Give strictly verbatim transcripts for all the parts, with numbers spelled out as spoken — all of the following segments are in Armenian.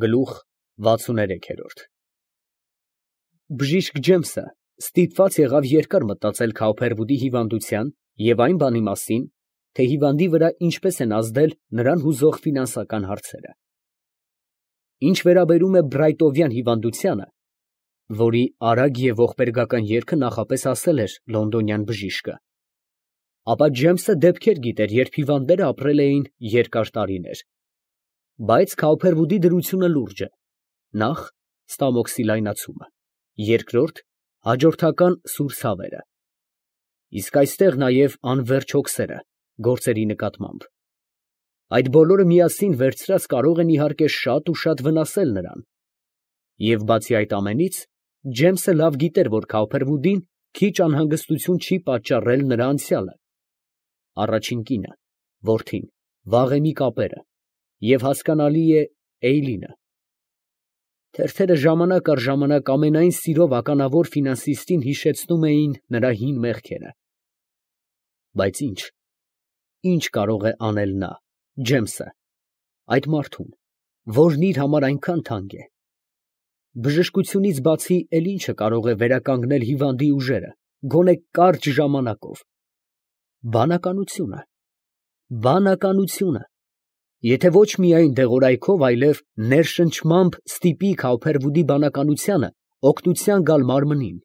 Գլուխ վաթսուներեք։ Բժիշկ Ջեմսը ստիպված եղավ երկար մտածել Քաուփերվուդի հիվանդության և այն բանի մասին, թե հիվանդի վրա ինչպես են ազդել նրան հուզող ֆինանսական հարցերը։ Ինչ վերաբերում է Բրայտովյան հիվանդությանը, որի արագ և ողբերգական երգը նախապես ասել էր լոնդոնյան բժիշկը, ապա Ջեմսը դեպքեր գիտեր, երբ հիվանդները ապրել էին երկար տարիներ, բայց Քաուփերվուդի դրությունը լուրջ է. նախ ստամոքսի լայնացումը, երկրորդ հաջորդական սուր ցավերը, իսկ այստեղ նաև անվերջ հոգսերը գործերի նկատմամբ։ Այդ բոլորը միասին վերցրած կարող են իհարկե շատ ու շատ վնասել նրան, և բացի այդ ամենից, Ջեմսը լավ գիտեր, որ Քաուփերվուդին քիչ անհանգստություն չի պատճառել նրա անցյալը, առաջին կինը, որդին, վաղեմի կապերը և հասկանալի է Էյլինը։ Թերթերը ժամանակ առ ժամանակ ամենայն սիրով ականավոր ֆինանսիստին հիշեցնում էին նրա հին մեղքերը։ Բայց ի՞նչ, ի՞նչ կարող է անել նա, Ջեմսը, այդ մարդուն, որն իր համար այնքան թանկ է։ Բժշկությունից բացի էլ ի՞նչը կարող է վերականգնել հիվանդի ուժերը, գոնե կարճ ժամանակով։ Բանականությունը, բանականությունը, եթե ոչ միայն դեղորայքով, այլև ներշնչմամբ ստիպի Քաուփերվուդի բանականությանը օգնության գալ մարմնին։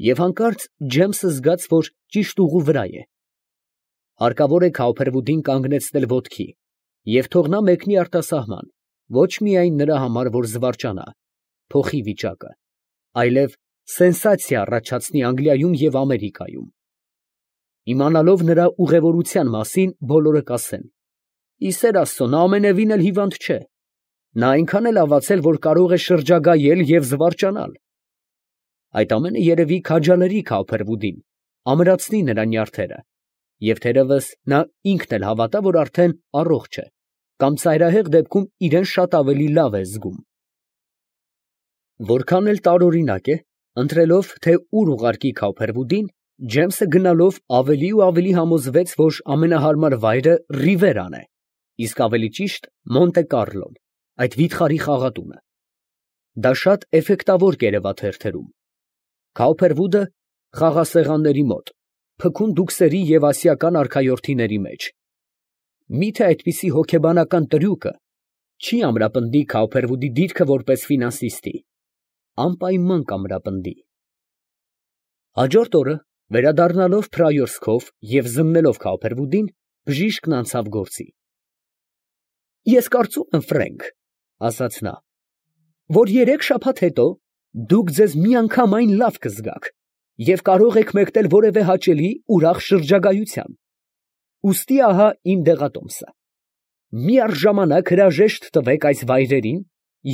Եվ հանկարծ Ջեմսը զգաց, որ ճիշտ ուղու վրա է։ Հարկավոր է Քաուփերվուդին կանգնեցնել ոտքի և թող նա մեկնի արտասահման, ոչ միայն նրա համար, որ զվարճանա, փոխի վիճակը, այլև սենսացիա առաջացնի Անգլիայում և Ամերիկայում։ Իմանալով նրա ուղևորության մասին, բոլորը կասեն. «Ի սեր Աստծո, նա ամենևին էլ հիվանդ չէ, նա այնքան է լավացել, որ կարող է շրջագայել և զվարճանալ»։ Այդ ամենը երևի քաջալերի Քաուփերվուդին, ամրացնի նրա նյարդերը, և թերևս նա ինքն էլ հավատա, որ արդեն առողջ է, կամ ծայրահեղ դեպքում իրան շատ ավելի լավ է զգում։ Որքան էլ տարօրինակ է, ընտրելով, թե ուր ուղարկի Քաուփերվուդին, Ջեմսը գնալով ավելի ու ավելի համոզվեց, որ ամենահարմար վայրը Ռիվերան է, իսկ ավելի ճիշտ Մոնտե Կառլոն, այդ վիթխարի խաղատունը։ Դա շատ էֆեկտավոր կերևա թերթերում։ Քաուփերվուդը խաղասեղանների մոտ, փքուն դուքսերի և ասիական արքայորդիների մեջ։ Մի՞թե այդպիսի հոգեբանական տրյուկը չի ամրապնդի Քաուփերվուդի դիրքը որպես ֆինանսիստի։ Անպայման կամրապնդի։ Հաջորդ օրը, վերադառնալով Փրայորսքով և զննելով Քաուփերվուդին, բժիշկն անցավ գործի։ «Ես կարծում եմ, Ֆրենկ, ֊ ասաց նա, ֊ որ երեք շաբաթ հետո դուք ձեզ միանգամայն լավ կզգաք և կարող եք մեկնել որևէ հաճելի, ուրախ շրջագայության։ Ուստի ահա իմ դեղատոմսը. միառժամանակ հրաժեշտ տվեք այս վայրերին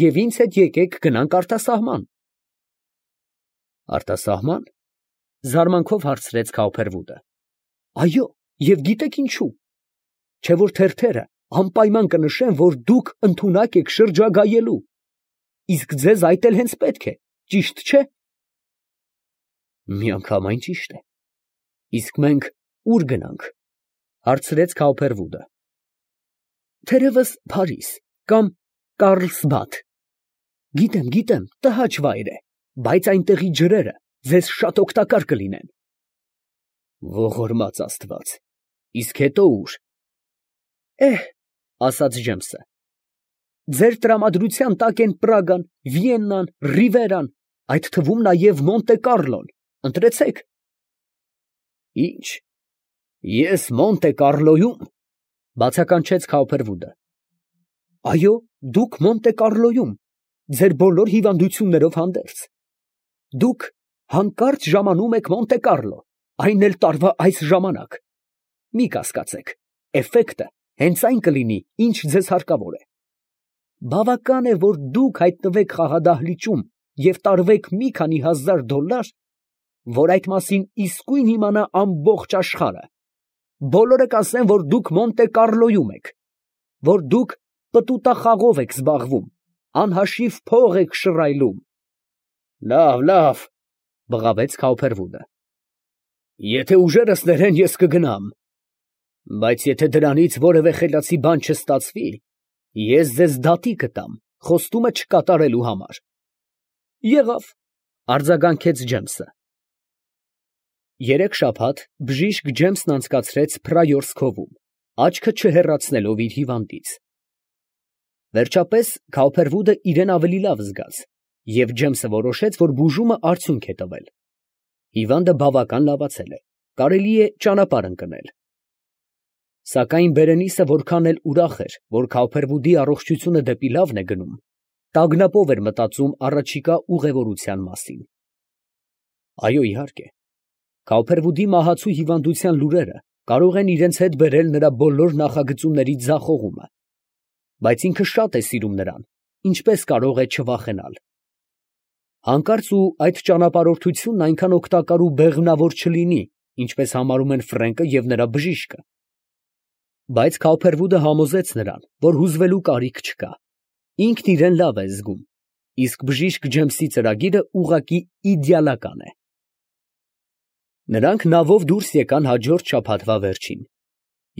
և ինձ հետ եկեք գնանք արտասահման»։ «Արտասահման» ֊ զարմանքով հարցրեց Քաուփերվուդը։ «Այո, և գիտեք ինչու՞։ Չէ՞ որ թերթերը անպայման կնշեն, որ դուք ընդունակ եք շրջագայելու, իսկ ձեզ այդ էլ հենց պետք է, ճիշտ չէ՞։ «Միանգամայն ճիշտ է, իսկ մենք ո՞ւր գնանք, ֊ հարցրեց Քաուփերվուդը։ ֊ Թերևս Փարիզ կամ Կառլսբադ։ Գիտեմ, գիտեմ, տհաճ վայր է, բայց այնտեղի ջրերը ձեզ շատ օգտակար կլինեն։ Ողորմած Աստված, իսկ հետո ո՞ւր։ Էհ, ֊ ասաց Ջեմսը, ֊ ձեր տրամադրության տակ են Պրագան, Վիեննան, Ռիվերան, այդ թվում նաև Մոնտե Կառլոն, ընտրեցեք։ Ի՞նչ, ես Մոնտե Կառլոյում, ֊ բացականչեց Քաուփերվուդը։ Այո, դուք Մոնտե Կառլոյում, ձեր բոլոր հիվանդություններով հանդերձ։ Դուք հանկարծ ժամանում եք Մոնտե Կառլո, այն էլ տարվա այս ժամանակ։ Մի կասկածեք, էֆեկտը հենց այն կլինի, ինչ ձեզ հարկավոր է։ Բավական է, որ դուք հայտնվեք խաղադահլիճում և տարվեք մի քանի հազար դոլար, որ այդ մասին իսկույն իմանա ամբողջ աշխարհը։ Բոլորը կասեն, որ դուք Մոնտե Կառլոյում եք, որ դուք պտուտախաղով եք զբաղվում, անհաշիվ փող եք շռայլում։ Լավ, լավ, ֊ բղավեց Քաուփերվուդը, եթե ուժերս ներեն, ես կգնամ, բայց եթե դրանից որևէ խելացի բան չստացվի, Ես ձեզ դատի կտամ խոստումը չկատարելու համար։ Եղավ, արձագանքեց Ջեմսը։ Երեք շաբաթ բժիշկ Ջեմսն անցկացրեց Փրայորսկովում, աչքը չհեռացնելով իր հիվանդից։ Վերջապես Քաուփերվուդը իրեն ավելի լավ զգաց, և Ջեմսը որոշեց, որ բուժումը արդյունք է տվել։ Հիվանդը բավական լավացել է, կարելի է ճանապարհ ընկնել։ Սակայն Բերենիսը որքան էլ ուրախ էր, որ Քաուփերվուդի առողջությունը դեպի լավն է գնում, տագնապով էր մտածում առաջիկա ուղևորության մասին։ Այո, իհարկե, Քաուփերվուդի մահացու հիվանդության լուրերը կարող են իրենց հետ բերել նրա բոլոր նախագծումների ձախողումը, բայց ինքը շատ է սիրում նրան, ինչպես կարող է չվախենալ։ Հանկարծ ու այդ ճանապարհորդությունն այնքան օգտակար ու բեղմնավոր չլինի, ինչպես համարում են Ֆրենկը և նրա բժիշկը։ Բայց Քաուփերվուդը համոզեց նրան, որ հուզվելու կարիք չկա։ Ինքն իրեն լավ է զգում, իսկ բժիշկ Ջեմսի ծրագիրը ուղղակի իդեալական է։ Նրանք նավով դուրս եկան հաջորդ շաբաթվա վերջին։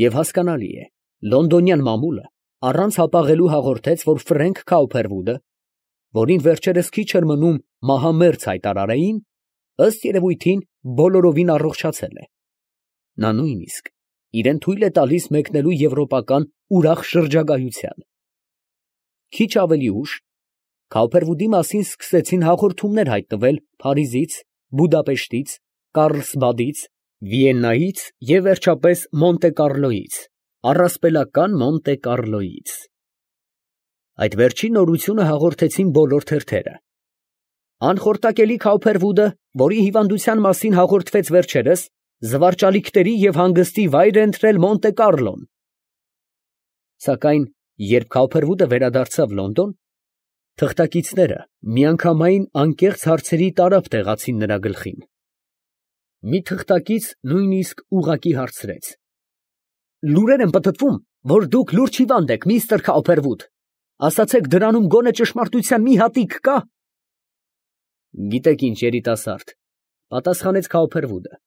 Եվ հասկանալի է, լոնդոնյան մամուլը առանց հապաղելու հաղորդեց, որ Ֆրենկ Քաուփերվուդը, որին վերջերս քիչ էր մնում մահամերձ հայտարարեին, ըստ երևույթին բոլորովին առողջացել է։ Նա նույնիսկ իրեն թույլ է տալիս մեկնելու եվրոպական ուրախ շրջագայության։ Քիչ ավելի ուշ Քաուփերվուդի մասին սկսեցին հաղորդումներ հայտնվել Փարիզից, Բուդապեշտից, Կառլսբադից, Վիեննայից և վերջապես Մոնտե Կառլոյից, առասպելական Մոնտե Կառլոյից։ Այդ վերջին նորությունը հաղորդեցին բոլոր թերթերը։ Անխորտակելի Քաուփերվուդը, որի հիվանդության մասին հաղորդվեց վերջերս, զվարճալիքների և հանգստի վայր է ընտրել Մոնտե Կառլոն։ Սակայն երբ Քաուփերվուդը վերադարձավ Լոնդոն, թղթակիցները միանգամայն անկեղծ հարցերի տարափ տեղացին նրա գլխին։ Մի թղթակից նույնիսկ ուղղակի հարցրեց. «Լուրեր են պտտվում, որ դուք լուրջ հիվանդ եք, միստր Քաուփերվուդ, ասացեք, դրանում գոնե ճշմարտության մի հատիկ կա»։ Գիտեք ինչ, երիտասարդ, պատասխանեց Քաուփերվուդը,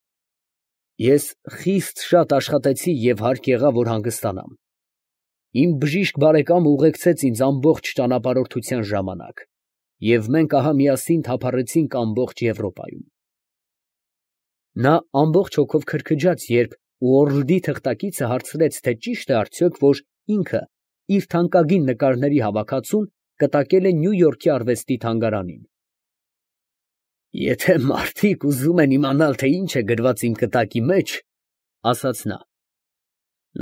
ես խիստ շատ աշխատեցի և հարկ եղա, որ հանգստանամ։ Իմ բժիշկ բարեկամը ուղեկցեց ինձ ամբողջ ճանապարհորդության ժամանակ, և մենք ահա միասին թափառեցինք ամբողջ Եվրոպայում։ Նա ամբողջ հոգով քրքջաց, երբ Ուորլդի թղթակիցը հարցրեց, թե ճիշտ է արդյոք, որ ինքը իր թանկագին նկարների հավաքածուն կտակել է Նյու Յորքի արվեստի թանգարանին։ Եթե մարդիկ ուզում են իմանալ, թե ինչ է գրված իմ կտակի մեջ, ասաց նա,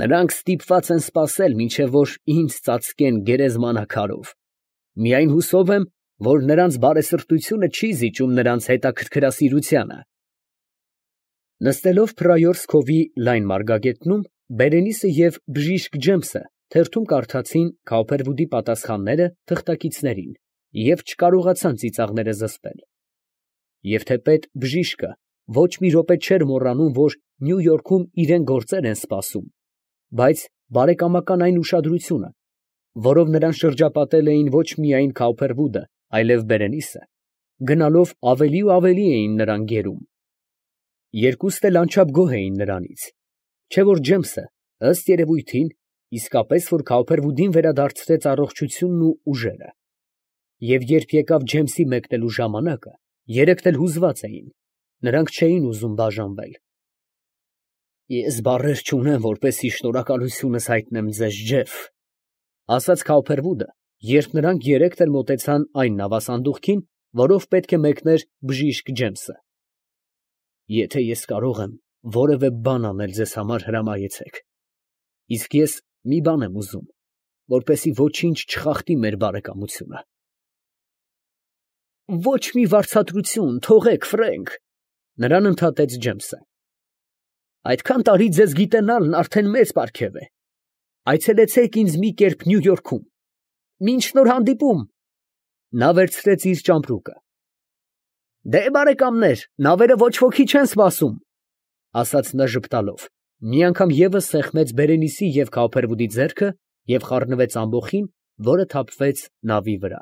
նրանք ստիպված են սպասել, մինչև որ ինձ ծածկեն գերեզմանաքարով։ Միայն հուսով եմ, որ նրանց բարեսրտությունը չի զիջում նրանց հետաքրքրասիրությանը։ Նստելով Փրայորսկովի լայն մարգագետնում, Բերենիսը և բժիշկ Ջեմսը թերթում կարդացին Քաուփերվուդի պատասխանները թղթակիցներին և չկարողացան ծիծաղները զսպել։ Եվ թեպետ բժիշկը ոչ մի րոպե չէր մոռանում, որ Նյու Յորքում իրեն գործեր են սպասում, բայց բարեկամական այն ուշադրությունը, որով նրան շրջապատել էին ոչ միայն Քաուփերվուդը, այլև Բերենիսը, գնալով ավելի ու ավելի էին նրան գերում։ Երկուստ էլ անչափ գոհ էին նրանից, չէ՞ որ Ջեմսը, ըստ երևույթին, իսկապես որ Քաուփերվուդին վերադարձրեց առողջությունն ու ուժերը։ Եվ երբ եկավ Ջեմսի մեկնելու ժամանակը, երեքն էլ հուզված էին, նրանք չէին ուզում բաժանվել։ Ես բառեր չունեմ, որպեսզի շնորհակալությունս հայտնեմ ձեզ, Ջեֆ, ասաց Քաուփերվուդը, երբ նրանք երեքն էլ մոտեցան այն նավասանդուղքին, որով պետք է մեկներ բժիշկ Ջեմսը։ Եթե ես կարող եմ որևէ բան անել ձեզ համար, հրամայեցեք։ Իսկ ես մի բան եմ ուզում, որպեսզի ոչինչ չխախտի մեր բարեկամությունը։ Ոչ մի վարձատրություն, թողեք, Ֆրենկ, նրան ընդհատեց Ջեմսը։ Այդքան տարի ձեզ գիտենալն արդեն մեծ պարգև է։ Այցելեցեք ինձ մի կերպ Նյու Յորքում։ Մինչ նոր հանդիպում։ Նա վերցրեց իր ճամպրուկը։ Դե բարեկամներ, նավերը ոչ ոքի չեն սպասում, ասաց նա ժպտալով, մի անգամ ևս սեղմեց Բերենիսի և Քաուփերվուդի ձեռքը և խառնվեց ամբոխին, որը թափվեց նավի վրա։